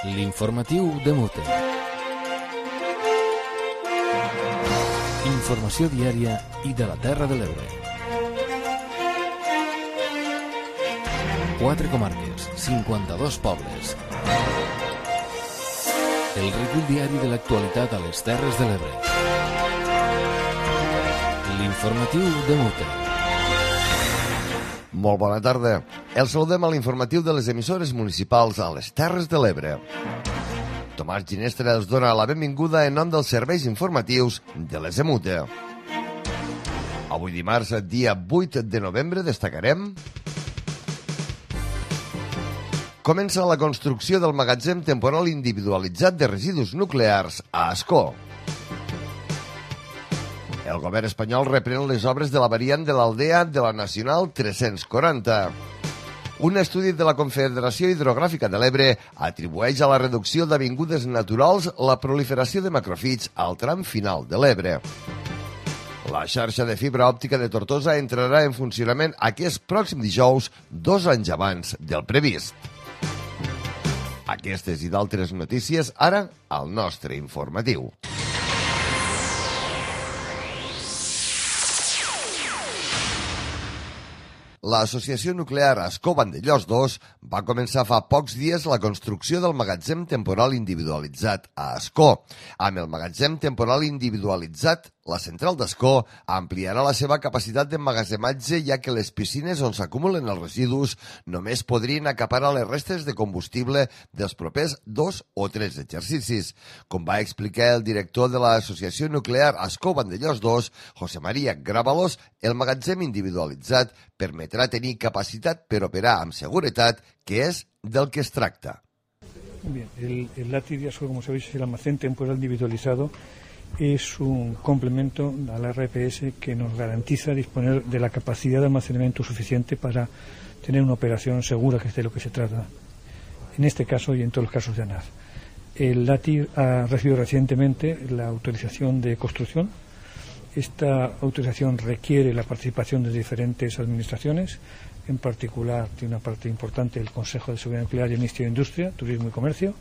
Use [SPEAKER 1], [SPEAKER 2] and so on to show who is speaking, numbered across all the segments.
[SPEAKER 1] L'informatiu de Mute. Informació diària i de la Terra de l'Ebre. 4 comarques, 52 pobles. El recull diari de l'actualitat a les Terres de l'Ebre. L'informatiu de Mute.
[SPEAKER 2] Molt bona tarda. El saludem a l'informatiu de les emissores municipals a les Terres de l'Ebre. Tomàs Ginestra els dona la benvinguda en nom dels serveis informatius de les EMUTE. Avui dimarts, dia 8 de novembre, destacarem: comença la construcció del magatzem temporal individualitzat de residus nuclears a Ascó. El govern espanyol reprèn les obres de la variant de l'Aldea de la Nacional 340. Un estudi de la Confederació Hidrogràfica de l'Ebre atribueix a la reducció d'avingudes naturals la proliferació de macròfits al tram final de l'Ebre. La xarxa de fibra òptica de Tortosa entrarà en funcionament aquest pròxim dijous, 2 anys abans del previst. Aquestes i d'altres notícies ara al nostre informatiu. L'Associació Nuclear Ascó Vandellòs 2 va començar fa pocs dies la construcció del magatzem temporal individualitzat a Ascó. Amb el magatzem temporal individualitzat, la central d'Ascó ampliarà la seva capacitat d'emmagatzematge, ja que les piscines on s'acumulen els residus només podrien acaparar les restes de combustible dels propers 2 o 3 exercicis. Com va explicar el director de l'Associació Nuclear Ascó Vandellòs 2, José María Grábalos, el magatzem individualitzat permetrà tenir capacitat per operar amb seguretat, que és del que es tracta.
[SPEAKER 3] Bien, el LATI de Ascó, como sabéis, es el almacén temporal individualizado. Es un complemento al RPS que nos garantiza disponer de la capacidad de almacenamiento suficiente para tener una operación segura, que es de lo que se trata en este caso y en todos los casos de ANAF. El LATI ha recibido recientemente la autorización de construcción. Esta autorización requiere la participación de diferentes administraciones, en particular tiene una parte importante el Consejo de Seguridad Nuclear y el Ministerio de Industria, Turismo y Comercio.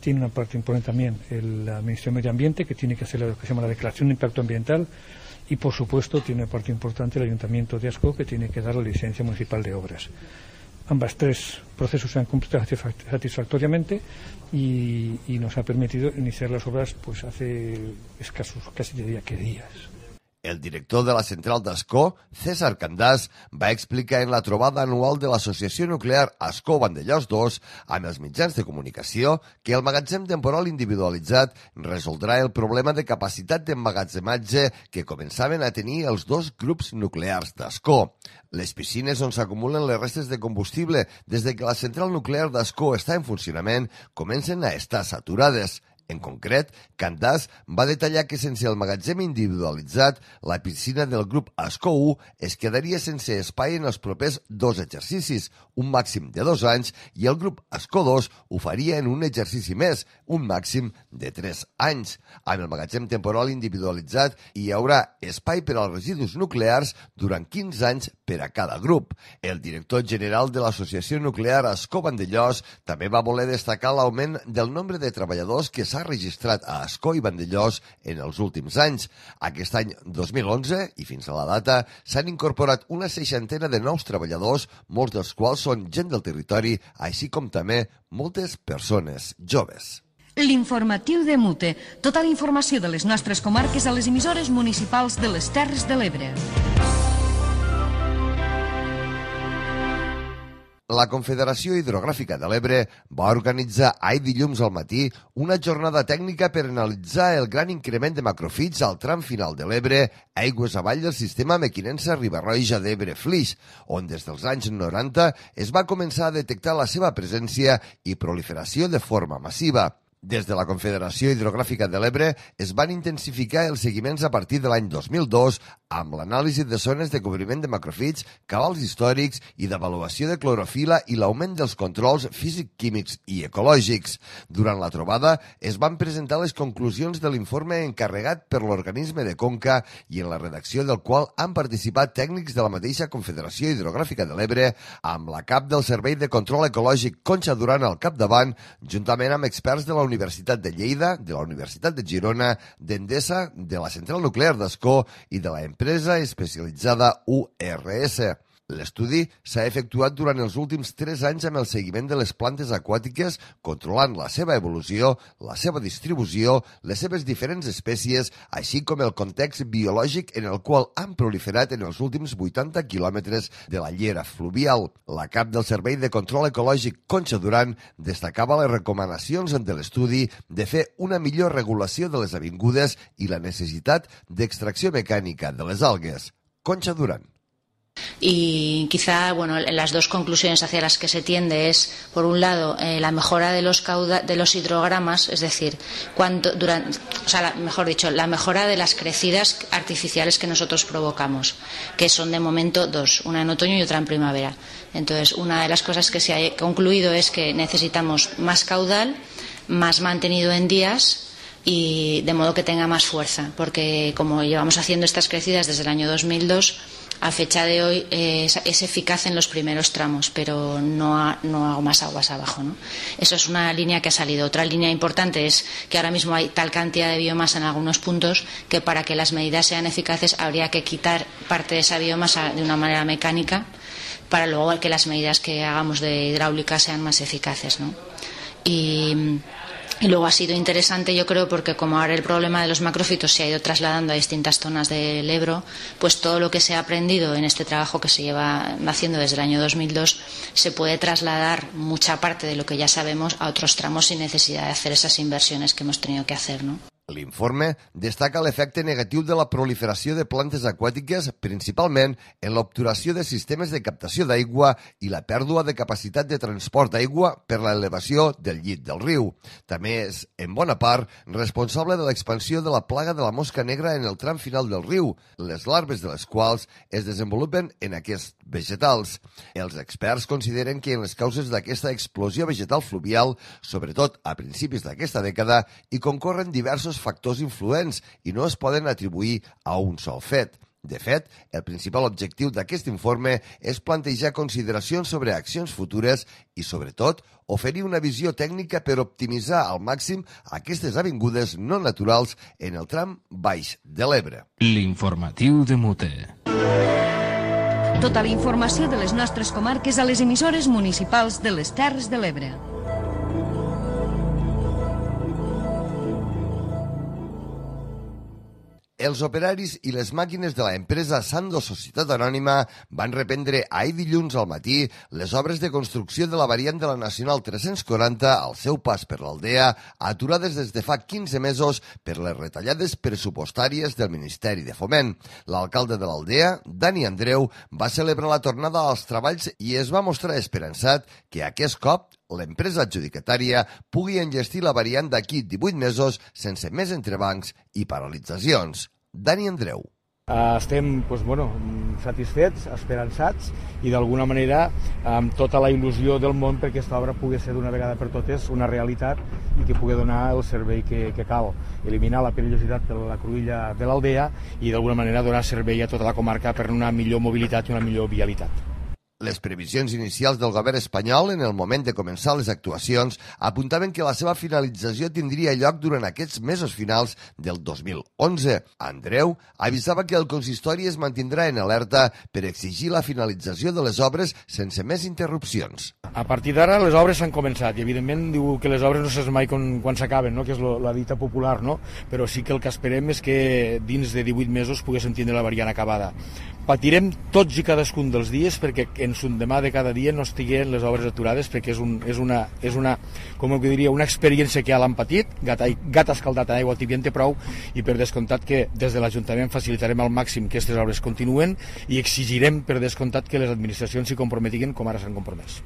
[SPEAKER 3] Tiene una parte importante también el Ministerio de Medio Ambiente, que tiene que hacer lo que se llama la declaración de impacto ambiental, y por supuesto tiene una parte importante el Ayuntamiento de Ascó, que tiene que dar la licencia municipal de obras. Ambas tres procesos se han cumplido satisfactoriamente y nos ha permitido iniciar las obras pues hace escasos, casi diría que días.
[SPEAKER 2] El director de la central d'Ascó, César Candàs, va explicar en la trobada anual de l'Associació Nuclear Ascó Vandellòs 2 amb els mitjans de comunicació que el magatzem temporal individualitzat resoldrà el problema de capacitat d'emmagatzematge que començaven a tenir els dos grups nuclears d'Ascó. Les piscines on s'acumulen les restes de combustible des de que la central nuclear d'Ascó està en funcionament comencen a estar saturades. En concret, Candàs va detallar que sense el magatzem individualitzat, la piscina del grup Ascó 1 es quedaria sense espai en els propers 2 exercicis, un màxim de 2 anys, i el grup Ascó 2 ho faria en un exercici més, un màxim de 3 anys. Amb el magatzem temporal individualitzat hi haurà espai per als residus nuclears durant 15 anys per a cada grup. El director general de l'Associació Nuclear Ascó Vandellòs també va voler destacar l'augment del nombre de treballadors que s'ha registrat a Ascó i Vandellòs en els últims anys. Aquest any 2011 i fins a la data s'han incorporat una 60ena de nous treballadors, molts dels quals són gent del territori, així com també moltes persones joves.
[SPEAKER 4] L'informatiu de Mute. Tota la informació de les nostres comarques a les emissores municipals de les Terres de l'Ebre.
[SPEAKER 2] La Confederació Hidrogràfica de l'Ebre va organitzar ahir dilluns al matí una jornada tècnica per analitzar el gran increment de macròfits al tram final de l'Ebre, aigües avall del sistema Mequinensa-Ribarroja d'Ebre-Flix, on des dels anys 90 es va començar a detectar la seva presència i proliferació de forma massiva. Des de la Confederació Hidrogràfica de l'Ebre es van intensificar els seguiments a partir de l'any 2002 amb l'anàlisi de zones de cobriment de macrofits, cabals històrics i d'avaluació de clorofila i l'augment dels controls físic-químics i ecològics. Durant la trobada es van presentar les conclusions de l'informe encarregat per l'organisme de Conca i en la redacció del qual han participat tècnics de la mateixa Confederació Hidrogràfica de l'Ebre amb la cap del Servei de Control Ecològic Concha Duran al capdavant, juntament amb experts de la Universitat de Lleida, de la Universitat de Girona, d'Endesa, de la Central Nuclear d'Ascó i de la empresa especialitzada URS. L'estudi s'ha efectuat durant els últims 3 anys amb el seguiment de les plantes aquàtiques, controlant la seva evolució, la seva distribució, les seves diferents espècies, així com el context biològic en el qual han proliferat en els últims 80 quilòmetres de la llera fluvial. La cap del Servei de Control Ecològic Concha Duran destacava les recomanacions de l'estudi de fer una millor regulació de les avingudes i la necessitat d'extracció mecànica de les algues. Concha Duran.
[SPEAKER 5] Y quizá, las dos conclusiones hacia las que se tiende es, por un lado, la mejora de los hidrogramas, es decir, la mejora de las crecidas artificiales que nosotros provocamos, que son de momento 2, una en otoño y otra en primavera. Entonces, una de las cosas que se ha concluido es que necesitamos más caudal, más mantenido en días, y de modo que tenga más fuerza, porque como llevamos haciendo estas crecidas desde el año 2002, a fecha de hoy es eficaz en los primeros tramos, pero no hago más aguas abajo, ¿no? Eso es una línea que ha salido. Otra línea importante es que ahora mismo hay tal cantidad de biomasa en algunos puntos que para que las medidas sean eficaces habría que quitar parte de esa biomasa de una manera mecánica para luego que las medidas que hagamos de hidráulica sean más eficaces, ¿no? Y luego ha sido interesante, yo creo, porque como ahora el problema de los macrófitos se ha ido trasladando a distintas zonas del Ebro, pues todo lo que se ha aprendido en este trabajo que se lleva haciendo desde el año 2002 se puede trasladar mucha parte de lo que ya sabemos a otros tramos sin necesidad de hacer esas inversiones que hemos tenido que hacer, ¿no?
[SPEAKER 2] L'informe destaca l'efecte negatiu de la proliferació de plantes aquàtiques, principalment en l'obturació de sistemes de captació d'aigua i la pèrdua de capacitat de transport d'aigua per l'elevació del llit del riu. També és, en bona part, responsable de l'expansió de la plaga de la mosca negra en el tram final del riu, les larves de les quals es desenvolupen en aquests vegetals. Els experts consideren que en les causes d'aquesta explosió vegetal fluvial, sobretot a principis d'aquesta dècada, hi concorren diversos factors influents i no es poden atribuir a un sol fet. De fet, el principal objectiu d'aquest informe és plantejar consideracions sobre accions futures i, sobretot, oferir una visió tècnica per optimitzar al màxim aquestes avingudes no naturals en el tram baix de l'Ebre.
[SPEAKER 1] L'informatiu de Mute.
[SPEAKER 4] Tota la informació de les nostres comarques a les emissores municipals de les Terres de l'Ebre.
[SPEAKER 2] Els operaris i les màquines de l'empresa Sando Societat Anònima van reprendre ahir dilluns al matí les obres de construcció de la variant de la Nacional 340 al seu pas per l'Aldea, aturades des de fa 15 mesos per les retallades pressupostàries del Ministeri de Foment. L'alcalde de l'Aldea, Dani Andreu, va celebrar la tornada als treballs i es va mostrar esperançat que aquest cop l'empresa adjudicatària pugui enllestir la variant d'aquí 18 mesos sense més entrebancs i paralitzacions. Dani Andreu.
[SPEAKER 6] Estem satisfets, esperançats i d'alguna manera amb tota la il·lusió del món perquè aquesta obra pugui ser d'una vegada per totes una realitat i que pugui donar el servei que cal, eliminar la perillositat de la cruïlla de l'Aldea i d'alguna manera donar servei a tota la comarca per una millor mobilitat i una millor vialitat.
[SPEAKER 2] Les previsions inicials del govern espanyol en el moment de començar les actuacions apuntaven que la seva finalització tindria lloc durant aquests mesos finals del 2011. Andreu avisava que el consistori es mantindrà en alerta per exigir la finalització de les obres sense més interrupcions.
[SPEAKER 6] A partir d'ara les obres s'han començat i evidentment diu que les obres no saps mai quan s'acaben, no? Que és la dita popular, no? Però sí que el que esperem és que dins de 18 mesos poguéssim tindre la variant acabada. Patirem tots i cadascun dels dies perquè en son demà de cada dia no estiguen les obres aturades perquè és una experiència que ja l'han patit, gat escaldat en aigua tibia en té prou i per descomptat que des de l'Ajuntament facilitarem al màxim que aquestes obres continuen i exigirem per descomptat que les administracions s'hi comprometin com ara s'han compromès.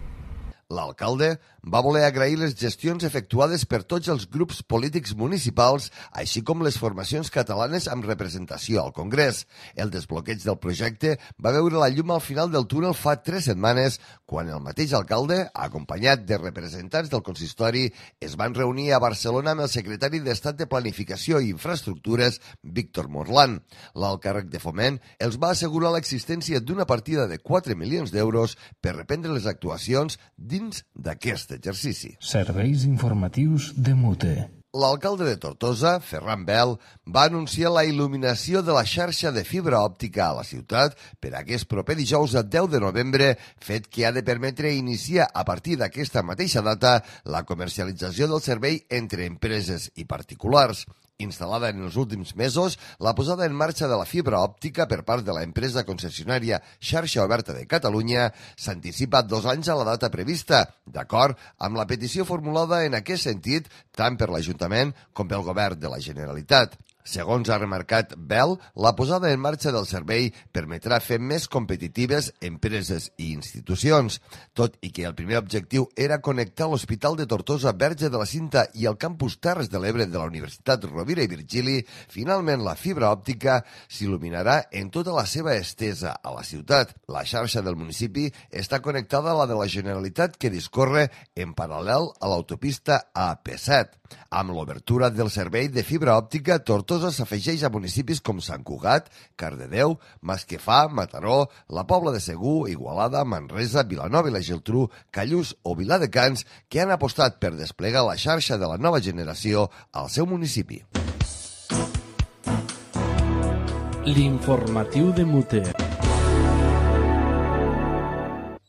[SPEAKER 2] L'alcalde va voler agrair les gestions efectuades per tots els grups polítics municipals, així com les formacions catalanes amb representació al Congrés. El desbloqueig del projecte va veure la llum al final del túnel fa 3 setmanes, quan el mateix alcalde, acompanyat de representants del consistori, es van reunir a Barcelona amb el secretari d'Estat de Planificació i Infraestructures, Víctor Morlán. L'alt càrrec de Foment els va assegurar l'existència d'una partida de 4 milions d'euros per reprendre les actuacions dins d'aquest exercici.
[SPEAKER 7] Serveis informatius de Mute.
[SPEAKER 2] L'alcalde de Tortosa, Ferran Bel, va anunciar la il·luminació de la xarxa de fibra òptica a la ciutat per aquest proper dijous a 10 de novembre, fet que ha de permetre iniciar a partir d'aquesta mateixa data la comercialització del servei entre empreses i particulars. Instal·lada en els últims mesos, la posada en marxa de la fibra òptica per part de la empresa concessionària Xarxa Oberta de Catalunya s'anticipa 2 anys a la data prevista, d'acord amb la petició formulada en aquest sentit tant per l'Ajuntament com pel Govern de la Generalitat. Segons ha remarcat Bel, la posada en marxa del servei permetrà fer més competitives empreses i institucions. Tot i que el primer objectiu era connectar l'Hospital de Tortosa Verge de la Cinta i el campus Terres de l'Ebre de la Universitat Rovira i Virgili, finalment la fibra òptica s'il·luminarà en tota la seva estesa a la ciutat. La xarxa del municipi està connectada a la de la Generalitat, que discorre en paral·lel a l'autopista AP7. Amb l'obertura del servei de fibra òptica, Tortosa s'afegeix a municipis com Sant Cugat, Cardedeu, Masquefà, Mataró, la Pobla de Segur, Igualada, Manresa, Vilanova i la Geltrú, Callús o Viladecans, que han apostat per desplegar la xarxa de la nova generació al seu municipi.
[SPEAKER 1] L'informatiu de Mute.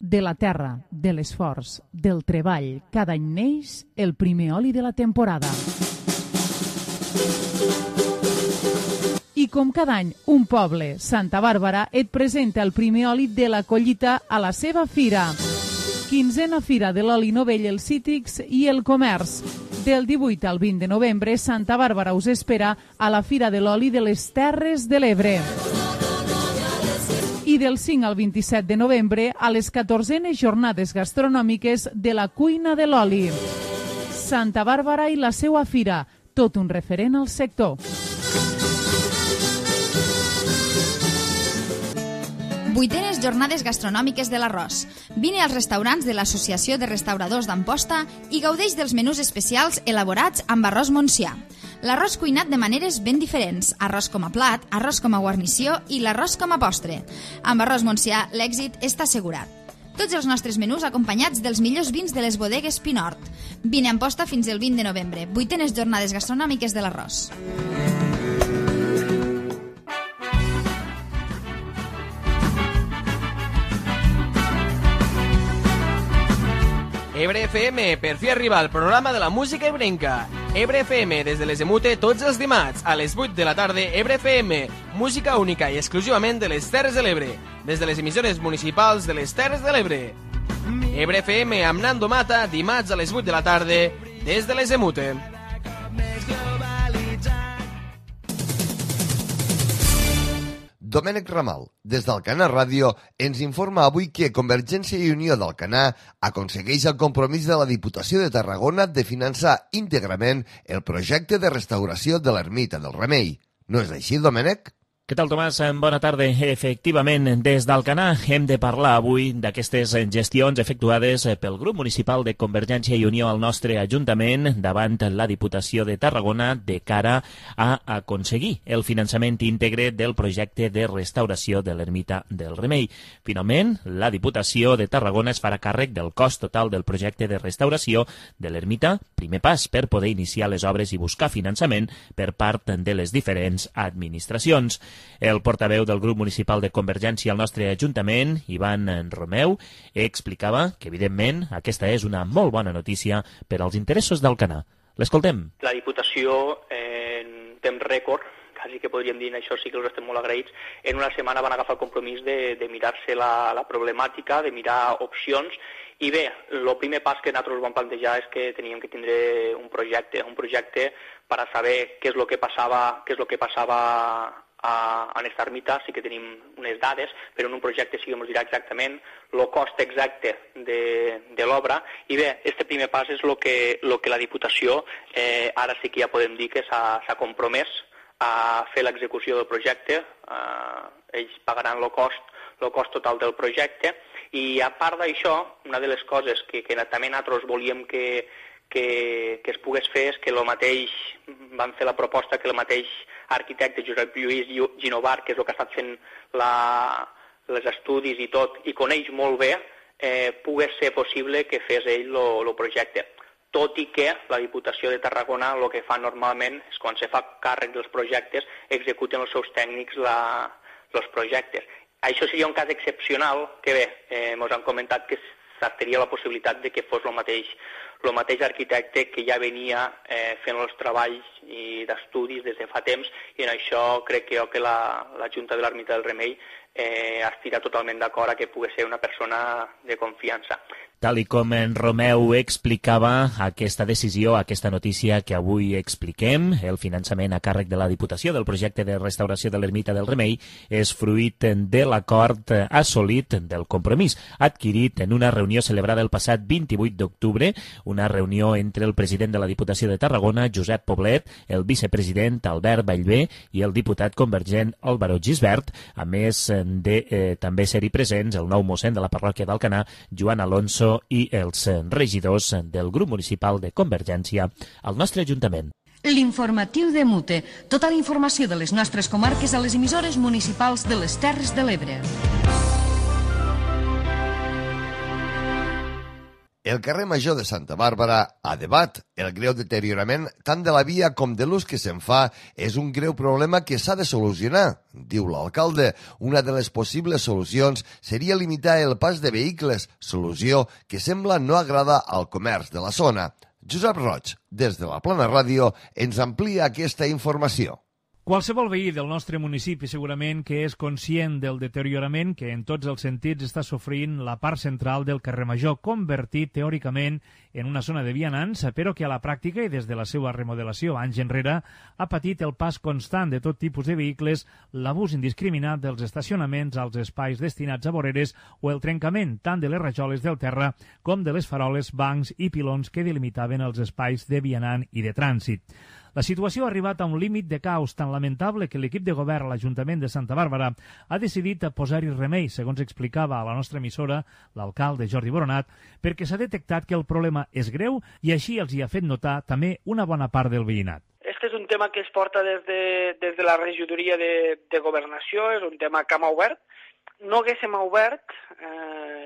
[SPEAKER 8] De la terra, de l'esforç, del treball, cada any neix el primer oli de la temporada. I com cada any, un poble, Santa Bàrbara, et presenta el primer oli de la collita a la seva fira. 15a Fira de l'Oli Novell, els Cítrics i el Comerç. Del 18 al 20 de novembre, Santa Bàrbara us espera a la Fira de l'Oli de les Terres de l'Ebre. I del 5 al 27 de novembre a les 14enes jornades gastronòmiques de la cuina de l'oli. Santa Bàrbara i la seua fira, tot un referent al sector.
[SPEAKER 9] Vuitenes jornades gastronòmiques de l'arròs. Vine als restaurants de l'Associació de Restauradors d'Amposta i gaudeix dels menús especials elaborats amb arròs montsià. L'arròs cuinat de maneres ben diferents, arròs com a plat, arròs com a guarnició i l'arròs com a postre. Amb arròs montsià l'èxit està assegurat. Tots els nostres menús acompanyats dels millors vins de les bodegues Pinort. Vine a Amposta fins el 20 de novembre. Vuitenes jornades gastronòmiques de l'arròs.
[SPEAKER 10] Ebre FM, per fi arriba al programa de la música ebrenca. Ebre FM, des de les de Mute, tots els dimarts, a les 8 de la tarda, Ebre FM, música única i exclusivament de les Terres de l'Ebre, des de les emissores municipals de les Terres de l'Ebre. Ebre FM amb Nando Mata, dimarts a les 8 de la tarda, des de les de Mute.
[SPEAKER 2] Domènec Ramal, des d'Alcanar Ràdio, ens informa avui que Convergència i Unió d'Alcanar aconsegueix el compromís de la Diputació de Tarragona de finançar íntegrament el projecte de restauració de l'Ermita del Remei. No és així, Domènec?
[SPEAKER 11] Què tal, Tomàs? Bona tarda. Efectivament, des d'Alcanar hem de parlar avui d'aquestes gestions efectuades pel grup municipal de Convergència i Unió al nostre Ajuntament davant la Diputació de Tarragona de cara a aconseguir el finançament íntegre del projecte de restauració de l'Ermita del Remei. Finalment, la Diputació de Tarragona es farà càrrec del cost total del projecte de restauració de l'Ermita, primer pas per poder iniciar les obres i buscar finançament per part de les diferents administracions. El portaveu del grup municipal de Convergència al nostre Ajuntament, Ivan Romeu, explicava que, evidentment, aquesta és una molt bona notícia per als interessos d'Alcanar. L'escoltem.
[SPEAKER 12] La Diputació, en temps rècord, quasi que podríem dir, això sí que els estem molt agraïts, en una setmana van agafar el compromís de mirar-se la problemàtica, de mirar opcions, i bé, el primer pas que nosaltres vam plantejar és que teníem que tindre un projecte per a saber què és el que passava en esta ermita sí que tenim unes dades, però en un projecte sí que ens dirà exactament el cost exacte de l'obra. I bé, este primer pas és el que la Diputació ara sí que ja podem dir que s'ha compromès a fer l'execució del projecte. Ells pagaran el cost total del projecte, i a part d'això, una de les coses que també nosaltres volíem que es pogués fer és que el mateix, van fer la proposta que el mateix arquitecte Josep Lluís Ginovar, que és el que ha estat fent els estudis i tot, i coneix molt bé, pogués ser possible que fes ell el projecte. Tot i que la Diputació de Tarragona el que fa normalment és, quan se fa càrrec dels projectes, executen els seus tècnics els projectes. Això seria un cas excepcional que bé, ens han comentat que tenia la possibilitat de que fos el mateix arquitecte que ja venia fent els treballs d'estudis des de fa temps, i en això crec que la Junta de l'Ermita del Remei estirà totalment d'acord a que pugui ser una persona de confiança.
[SPEAKER 11] Tal i com en Romeu explicava, aquesta decisió, aquesta notícia que avui expliquem, el finançament a càrrec de la Diputació del projecte de restauració de l'Ermita del Remei, és fruit de l'acord assolit del compromís adquirit en una reunió celebrada el passat 28 d'octubre, una reunió entre el president de la Diputació de Tarragona, Josep Poblet, el vicepresident Albert Vallvé i el diputat convergent Álvaro Gisbert, a més de també ser-hi presents el nou mossèn de la parròquia d'Alcanar, Joan Alonso, i els regidors del grup municipal de Convergència al nostre Ajuntament.
[SPEAKER 4] L'informatiu de Mute. Tota la informació de les nostres comarques a les emissores municipals de les Terres de l'Ebre.
[SPEAKER 2] El carrer Major de Santa Bàrbara a debat. El greu deteriorament tant de la via com de l'ús que se'n fa és un greu problema que s'ha de solucionar, diu l'alcalde. Una de les possibles solucions seria limitar el pas de vehicles, solució que sembla no agrada al comerç de la zona. Josep Roig, des de la Plana Ràdio, ens amplia aquesta informació.
[SPEAKER 13] Qualsevol veí del nostre municipi segurament que és conscient del deteriorament que en tots els sentits està sofrint la part central del carrer Major, convertit teòricament en una zona de vianants, però que a la pràctica i des de la seva remodelació anys enrere ha patit el pas constant de tot tipus de vehicles, l'abús indiscriminat dels estacionaments als espais destinats a voreres o el trencament tant de les rajoles del terra com de les faroles, bancs i pilons que delimitaven els espais de vianant i de trànsit. La situació ha arribat a un límit de caos tan lamentable que l'equip de govern a l'Ajuntament de Santa Bàrbara ha decidit posar-hi remei, segons explicava a la nostra emissora l'alcalde Jordi Boronat, perquè s'ha detectat que el problema és greu i així els hi ha fet notar també una bona part del veïnat.
[SPEAKER 14] Este és un tema que es porta des de la regidoria de governació, és un tema que hem obert. No haguéssim obert,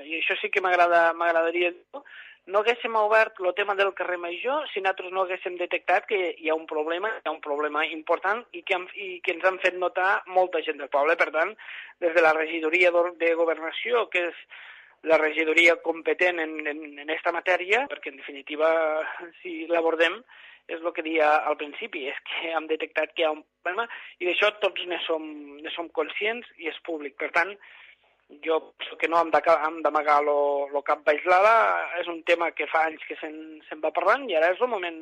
[SPEAKER 14] i això sí que m'agradaria dir, no haguéssim obert el tema del carrer Major si nosaltres no haguéssim detectat que hi ha un problema important i que ens han fet notar molta gent del poble. Per tant, des de la regidoria de governació, que és la regidoria competent en aquesta matèria, perquè en definitiva, si l'abordem, és el que deia al principi, és que hem detectat que hi ha un problema i d'això tots ne som conscients i és públic. Per tant, jo penso que no hem d'amagar el cap baix l'ala, és un tema que fa anys que se'n va parlant i ara és el moment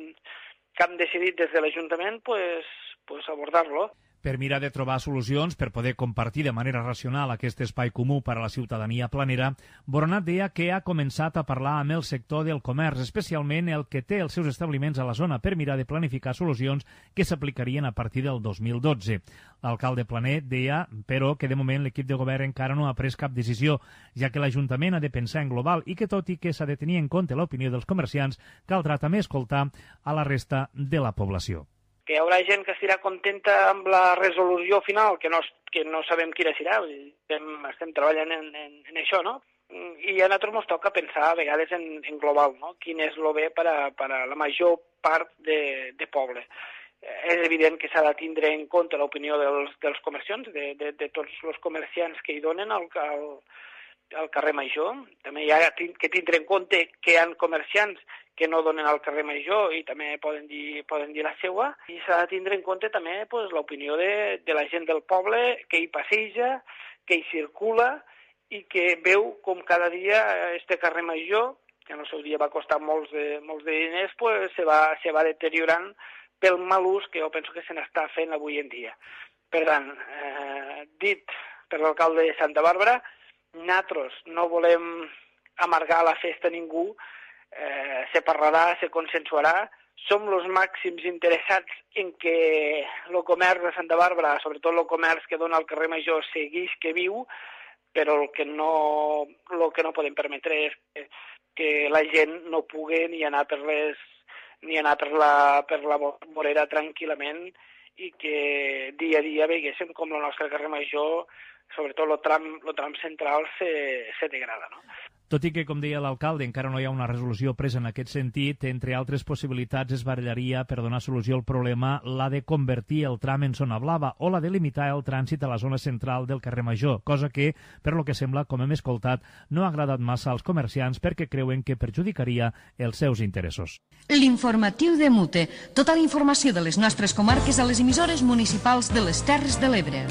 [SPEAKER 14] que hem decidit des de l'Ajuntament abordar-lo.
[SPEAKER 13] Per mirar de trobar solucions per poder compartir de manera racional aquest espai comú per a la ciutadania planera, Boronat deia que ha començat a parlar amb el sector del comerç, especialment el que té els seus establiments a la zona, per mirar de planificar solucions que s'aplicarien a partir del 2012. L'alcalde Planer deia, però, que de moment l'equip de govern encara no ha pres cap decisió, ja que l'Ajuntament ha de pensar en global i que, tot i que s'ha de tenir en compte l'opinió dels comerciants, caldrà també escoltar a la resta de la població.
[SPEAKER 14] Que hi haurà gent que estarà contenta amb la resolució final, que no sabem quina serà, estem treballant en això, no? I a nosaltres ens toca pensar a vegades en global, no? Quin és el bé per a la major part de poble. És evident que s'ha de tindre en compte l'opinió dels comerciants, de tots els comerciants que hi donen al carrer Major. També hi ha que tindre en compte que hi ha comerciants que no donen al carrer Major i també poden dir la seva. I s'ha de tindre en compte també l'opinió de la gent del poble que hi passeja, que hi circula i que veu com cada dia este carrer Major, que en el seu dia va costar molts de diners, se va deteriorant pel mal ús que jo penso que se n'està fent avui en dia. Per tant, dit per l'alcalde de Santa Bàrbara, nosaltres no volem amargar la festa a ningú, se parlarà, se consensuarà, som els màxims interessats en que el comerç de Santa Bàrbara, sobretot el comerç que dona al carrer Major, seguís que viu, però el que no podem permetre és que la gent no pugui ni anar per la vorera tranquil·lament i que dia a dia veiguéssim com el nostre carrer Major, sobretot el tram central, se degrada, no?
[SPEAKER 13] Tot i que, com deia l'alcalde, encara no hi ha una resolució presa en aquest sentit, entre altres possibilitats es barallaria per donar solució al problema la de convertir el tram en zona blava o la de limitar el trànsit a la zona central del carrer Major, cosa que, per lo que sembla, com hem escoltat, no ha agradat massa als comerciants perquè creuen que perjudicaria els seus interessos.
[SPEAKER 4] L'informatiu de Mute. Tota la informació de les nostres comarques a les emissores municipals de les Terres de l'Ebre.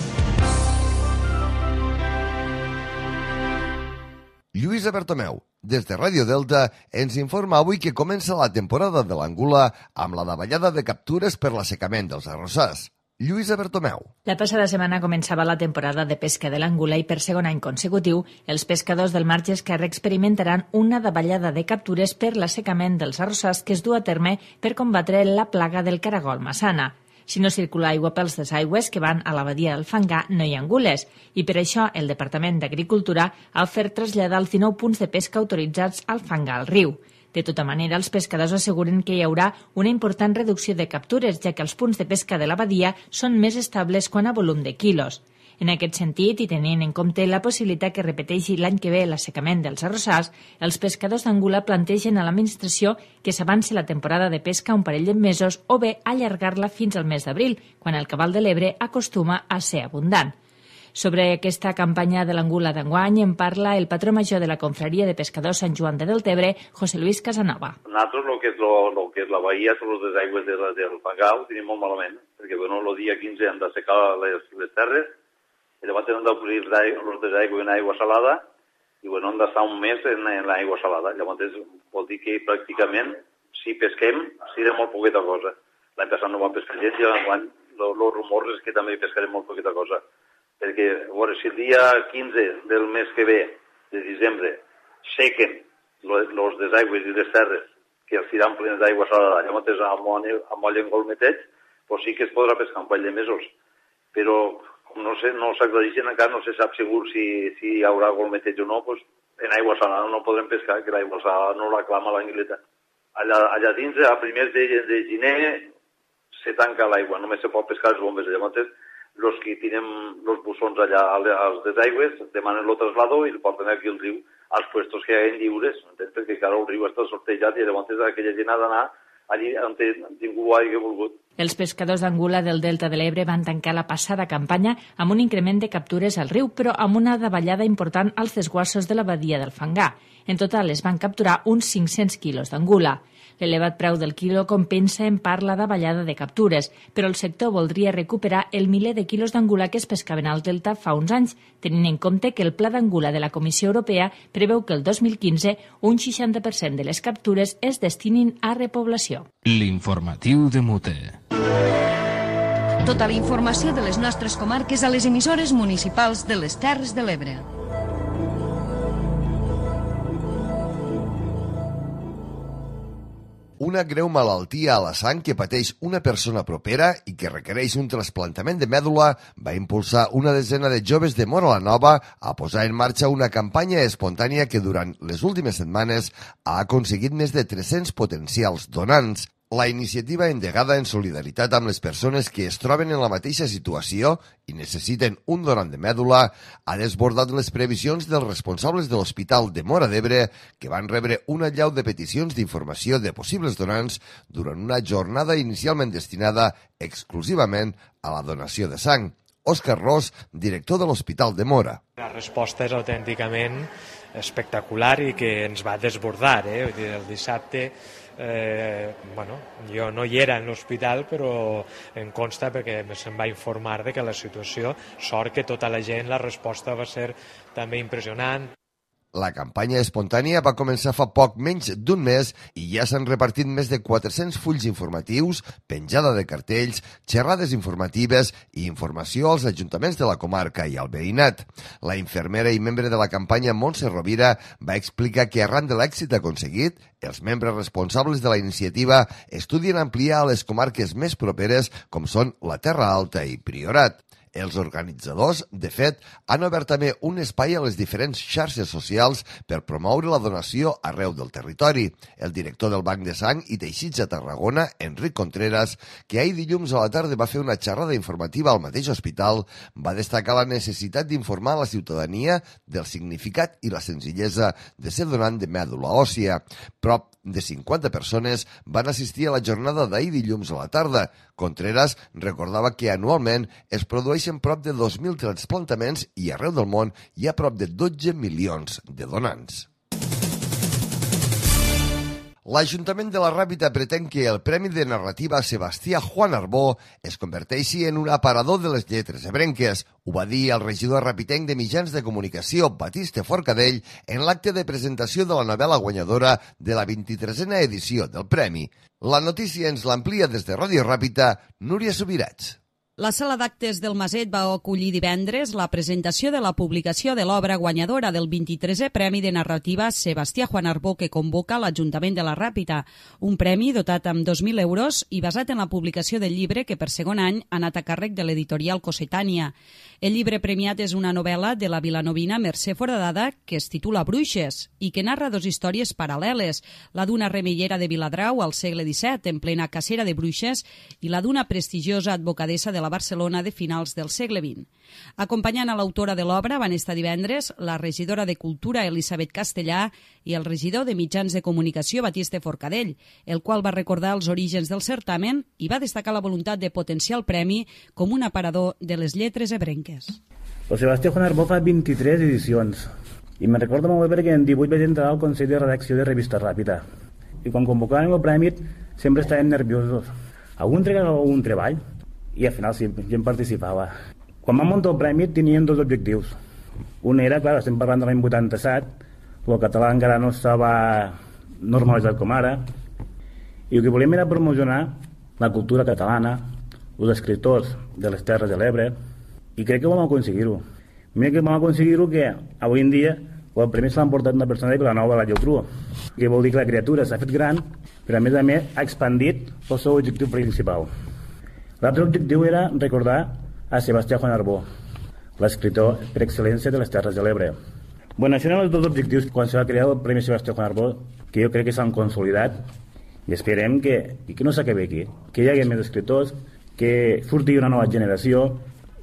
[SPEAKER 2] Lluïsa Bertomeu, des de Ràdio Delta, ens informa avui que comença la temporada de l'Angula amb la davallada de captures per l'assecament dels arrossars. Lluïsa Bertomeu.
[SPEAKER 15] La passada setmana començava la temporada de pesca de l'Angula i per segon any consecutiu els pescadors del Marge Esquerre experimentaran una davallada de captures per l'assecament dels arrossars que es du a terme per combatre la plaga del caragol massana. Si no circula aigua pels desaigües que van a la badia del Fangar, no hi ha angules, i per això el Departament d'Agricultura ha ofert traslladar els 19 punts de pesca autoritzats al Fangar al riu. De tota manera, els pescadors asseguren que hi haurà una important reducció de captures, ja que els punts de pesca de la badia són més estables quant a volum de quilos. En aquest sentit, i tenint en compte la possibilitat que repeteixi l'any que ve l'assecament dels arrossars, els pescadors d'Angula plantegen a l'administració que s'avanci la temporada de pesca un parell de mesos o bé allargar-la fins al mes d'abril, quan el cabal de l'Ebre acostuma a ser abundant. Sobre aquesta campanya de l'Angula d'enguany en parla el patró major de la Confraria de Pescadors Sant Joan de Deltebre, José Luis Casanova.
[SPEAKER 16] Nosaltres el que és la bahia, són les aigües del Fangar, ho tenim molt malament, perquè el dia 15 hem d'assecar les terres, i llavors hem d'obrir els desaigües en aigua salada i hem d'estar un mes en l'aigua salada. Llavors vol dir que pràcticament si pesquem serà molt poqueta cosa. L'any passat no vam pescar gent i l'any els rumors és que també pescarem molt poqueta cosa. Perquè si el dia 15 del mes que ve, de desembre, sequen els desaigües i les terres que els seran plenes d'aigua salada, llavors amb olla en golmeteig, doncs sí que es podrà pescar un parell de mesos. Però no s'aclareixen encara, no se sap segur si hi haurà golmeteig o no, doncs en aigua salada no podrem pescar, que l'aigua salada no la clama l'anguileta. Allà dins, a primers de gener, se tanca l'aigua, només se pot pescar els bombes. Llavors, els que tenen els bussons allà als desaigües demanen el traslado i el porten aquí al riu, als puestos que hi ha lliures, perquè encara el riu està sortejat i llavors aquella gent ha d'anar allí on ningú hagi volgut.
[SPEAKER 15] Els pescadors d'Angula del Delta de l'Ebre van tancar la passada campanya amb un increment de captures al riu, però amb una davallada important als desguassos de la badia del Fangar. En total es van capturar uns 500 quilos d'angula. L'elevat preu del quilo compensa en part la davallada de captures, però el sector voldria recuperar el miler de quilos d'angula que es pescaven al Delta fa uns anys, tenint en compte que el Pla d'Angula de la Comissió Europea preveu que el 2015 un 60% de les captures es destinin a repoblació.
[SPEAKER 7] L'informatiu de Mute.
[SPEAKER 4] Tota la informació de les nostres comarques a les emissores municipals de les Terres de l'Ebre.
[SPEAKER 2] Una greu malaltia a la sang que pateix una persona propera i que requereix un trasplantament de mèdula va impulsar una desena de joves de Móra la Nova a posar en marxa una campanya espontània que durant les últimes setmanes ha aconseguit més de 300 potencials donants. La iniciativa endegada en solidaritat amb les persones que es troben en la mateixa situació i necessiten un donant de mèdula ha desbordat les previsions dels responsables de l'Hospital de Móra d'Ebre, que van rebre una allau de peticions d'informació de possibles donants durant una jornada inicialment destinada exclusivament a la donació de sang. Òscar Ros, director de l'Hospital de Móra.
[SPEAKER 17] La resposta és autènticament espectacular i que ens va desbordar. El dissabte jo no hi era en l'hospital, però em consta perquè se'm va informar de que la situació, sort que tota la gent, la resposta va ser també impressionant.
[SPEAKER 2] La campanya espontània va començar fa poc menys d'un mes i ja s'han repartit més de 400 fulls informatius, penjada de cartells, xerrades informatives i informació als ajuntaments de la comarca i al veïnat. La infermera i membre de la campanya Montse Rovira va explicar que arran de l'èxit aconseguit, els membres responsables de la iniciativa estudien ampliar a les comarques més properes com són la Terra Alta i Priorat. Els organitzadors, de fet, han obert també un espai a les diferents xarxes socials per promoure la donació arreu del territori. El director del Banc de Sang i Teixits a Tarragona, Enric Contreras, que ahir dilluns a la tarda va fer una xerrada informativa al mateix hospital, va destacar la necessitat d'informar a la ciutadania del significat i la senzillesa de ser donant de mèdula òssia. Prop de 50 persones van assistir a la jornada d'ahir dilluns a la tarda. Contreras recordava que anualment es produeixen prop de 2.000 trasplantaments i arreu del món hi ha prop de 12 milions de donants. L'Ajuntament de la Ràpita pretén que el Premi de Narrativa Sebastià Juan Arbó es converteixi en un aparador de les lletres ebrenques. Ho va dir el regidor rapitenc de mitjans de comunicació, Batiste Forcadell, en l'acte de presentació de la novel·la guanyadora de la 23a edició del Premi. La notícia ens l'amplia des de Ràdio Ràpita, Núria Subirats.
[SPEAKER 18] La sala d'actes del Maset va acollir divendres la presentació de la publicació de l'obra guanyadora del 23è Premi de Narrativa Sebastià Juan Arbó que convoca l'Ajuntament de la Ràpita, un premi dotat amb 2.000 euros i basat en la publicació del llibre que per segon any ha anat a càrrec de l'editorial Cossetània. El llibre premiat és una novel·la de la vilanovina Mercè Foradada que es titula Bruixes i que narra dos històries paral·leles, la d'una remeiera de Viladrau al segle XVII en plena cacera de bruixes i la d'una prestigiosa advocadessa de la Barcelona de finals del segle XX. Acompanyant a l'autora de l'obra van estar divendres la regidora de Cultura Elisabet Castellà i el regidor de Mitjans de Comunicació Batiste Forcadell, el qual va recordar els orígens del certamen i va destacar la voluntat de potenciar el premi com un aparador de les lletres ebrenques.
[SPEAKER 19] El Sebastià Juan Arbó fa 23 edicions i me'n recordo molt bé perquè en 18 vaig entrar al Consell de Redacció de Revista Ràpita i quan convocaven el premi sempre estàvem nerviosos. Algun entregava algun treball i al final sí, gent participava. Quan vam muntar el premi tenien dos objectius. Un era, clar, estem parlant de l'any 87, el català encara no estava normalitzat com ara, i el que volíem era promocionar la cultura catalana, els escriptors de les Terres de l'Ebre, i crec que vam aconseguir-ho. Mira que vam aconseguir-ho que avui en dia el premi se l'ha emportat una persona de Vilanova de la Geltrú, que vol dir que la criatura s'ha fet gran, però a més ha expandit el seu objectiu principal. L'altre objectiu era recordar a Sebastià Juan Arbó, l'escriptor per excel·lència de les Terres de l'Ebre. Bueno, això eren els dos objectius quan se va crear el Premi Sebastià Juan Arbó, que jo crec que s'han consolidat i esperem que no s'acabi aquí, que hi hagi més escriptors, que surti una nova generació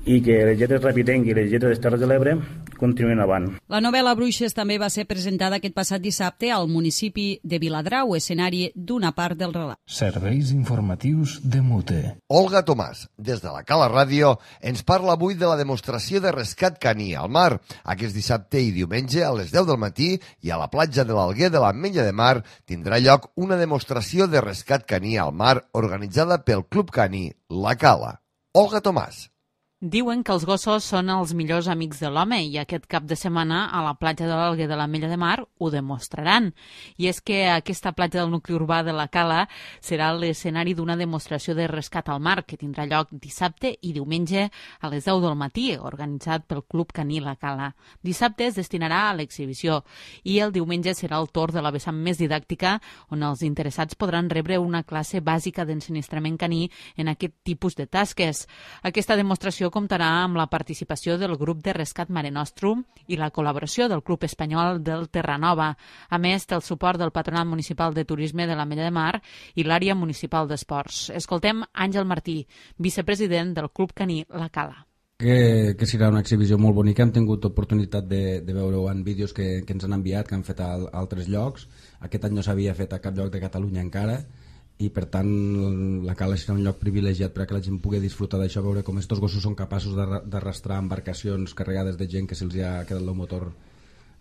[SPEAKER 19] i que les lletres Rapitenc i les lletres de les Terres de l'Ebre continuïn avant.
[SPEAKER 18] La novel·la Bruixes també va ser presentada aquest passat dissabte al municipi de Viladrau, escenari d'una part del relat.
[SPEAKER 7] Serveis informatius de Mute.
[SPEAKER 2] Olga Tomàs, des de la Cala Ràdio, ens parla avui de la demostració de rescat caní al mar. Aquest dissabte i diumenge a les 10 del matí i a la platja de l'Alguer de l'Ametlla de Mar tindrà lloc una demostració de rescat caní al mar organitzada pel Club Caní La Cala. Olga Tomàs.
[SPEAKER 20] Diuen que els gossos són els millors amics de l'home i aquest cap de setmana a la platja de l'Alguer de l'Ametlla de Mar ho demostraran. I és que aquesta platja del nucli urbà de la Cala serà l'escenari d'una demostració de rescat al mar que tindrà lloc dissabte i diumenge a les 10 del matí, organitzat pel Club Caní La Cala. Dissabte es destinarà a l'exhibició i el diumenge serà el torn de la vessant més didàctica on els interessats podran rebre una classe bàsica d'ensinistrament caní en aquest tipus de tasques. Aquesta demostració comptarà amb la participació del grup de rescat Mare Nostrum i la col·laboració del Club Espanyol del Terranova. A més, té el suport del Patronat Municipal de Turisme de l'Ametlla de Mar i l'Àrea Municipal d'Esports. Escoltem Àngel Martí, vicepresident del Club Caní La Cala.
[SPEAKER 21] Que serà una exhibició molt bonica. Hem tingut oportunitat de veure-ho en vídeos que ens han enviat, que han fet a altres llocs. Aquest any no s'havia fet a cap lloc de Catalunya encara, i per tant la Cala serà un lloc privilegiat perquè la gent pugui disfrutar d'això, veure com estos gossos són capaços d'arrastrar embarcacions carregades de gent que se'ls ha quedat el motor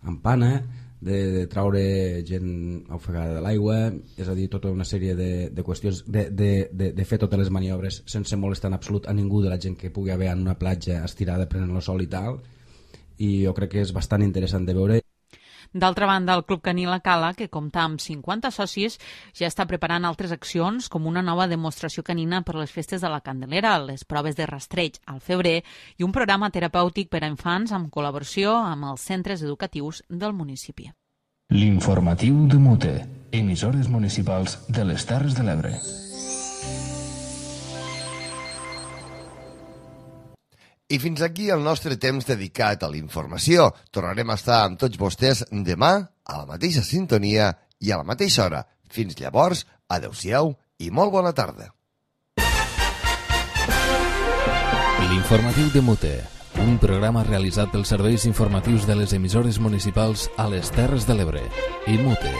[SPEAKER 21] en pana, de traure gent ofegada de l'aigua, és a dir, tota una sèrie de qüestions, de fer totes les maniobres sense molestar en absolut a ningú de la gent que pugui haver en una platja estirada prenent el sol i tal, i jo crec que és bastant interessant de veure.
[SPEAKER 20] D'altra banda, el Club Caní La Cala, que compta amb 50 socis, ja està preparant altres accions com una nova demostració canina per les festes de la Candelera, les proves de rastreig al febrer i un programa terapèutic per a infants amb col·laboració amb els centres educatius del municipi.
[SPEAKER 7] L'informatiu de Mute, emissores municipals de les Terres de l'Ebre.
[SPEAKER 2] I fins aquí el nostre temps dedicat a la informació. Tornarem a estar amb tots vostès demà a la mateixa sintonia i a la mateixa hora. Fins llavors, adeu-siau i molt bona tarda.
[SPEAKER 1] L'informatiu de Mute, un programa realitzat pels serveis informatius de les emissores municipals a les Terres de l'Ebre i Mute.